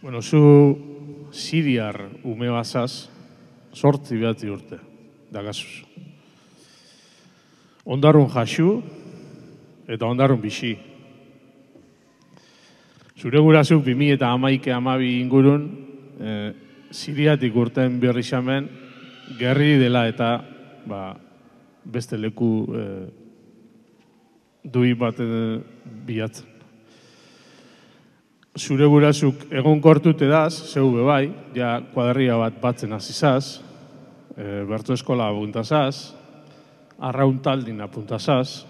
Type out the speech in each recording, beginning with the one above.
Bueno, zu siriar ume bazaz, 8 urte, dagazuz. Ondarrun jasu eta ondarrun bixi. Zure gurazuk 2011-12 ingurun, siriatik urten berri xamen, gerri dela eta beste leku dui bat bilatzen. Zure gurazuk egon kortut edaz, zeu bebai, ja kuadria bat batzen azizaz, bertu eskola apuntazaz, arraun taldin apuntazaz,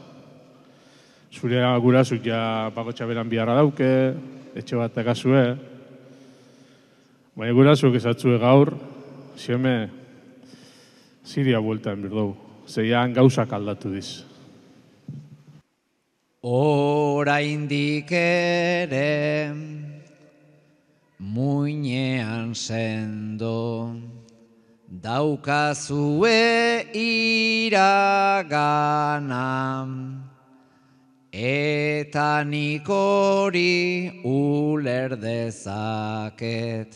zure gurazuk ja bakotxa beran biharra dauke, etxe bat egazue, baina gurazuk ezatzue gaur, zieme Siria bueltan birdou, zeian gauzak aldatu diz. Oraindik ere muinean sendo daukazue iragana eta nik hori uler dezaket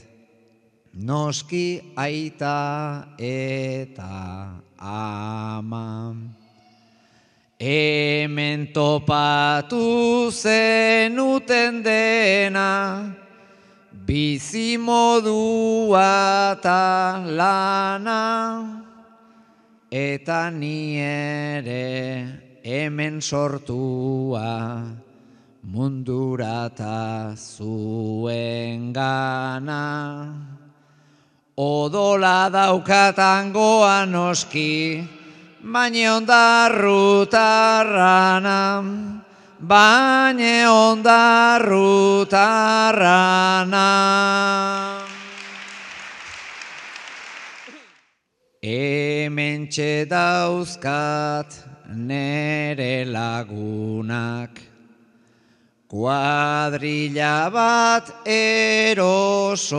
noski aita eta ama. Hemen topatu zenuten dena, bizimodua eta lana, eta ni ere hemen sortua, mundurata zuen gana. Odola daukatangoa noski, baina ondarrutarrana, Hementxe dauzkat nere lagunak, kuadrilla bat erosoa,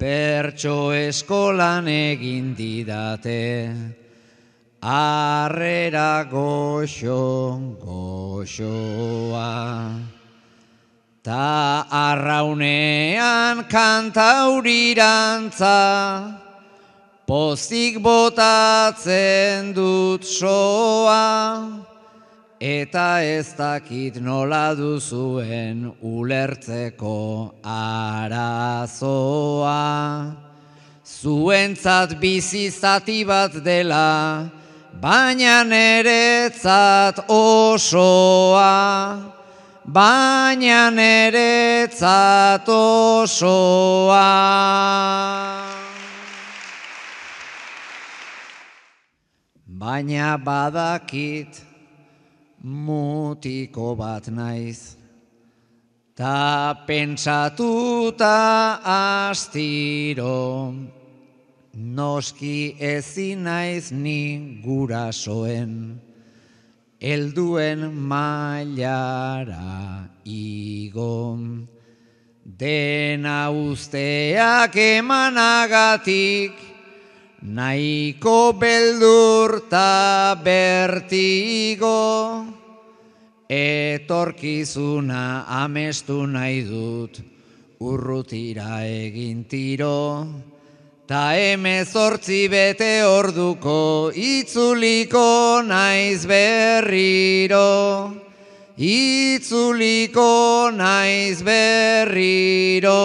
bertso eskolan egin didate, harrera goxoa. Ta arraunean kantaurirantza, pozik botatzen dut soa, eta ez dakit nola duzuen ulertzeko arazoa. Zuentzat bizi zati bat dela, baina neretzat osoa. Baina neretzat osoa. Baina badakit mutiko bat naiz, ta pentsatuta astiro, noski ezin naiz ni gurasoen, helduen mailara igo. Dena usteak emanagatik, nahiko beldurta bertigo, etorkizuna amestu nahi dut, urrutira egin tiro, ta 18 bete orduko itzuliko naiz berriro, itzuliko naiz berriro.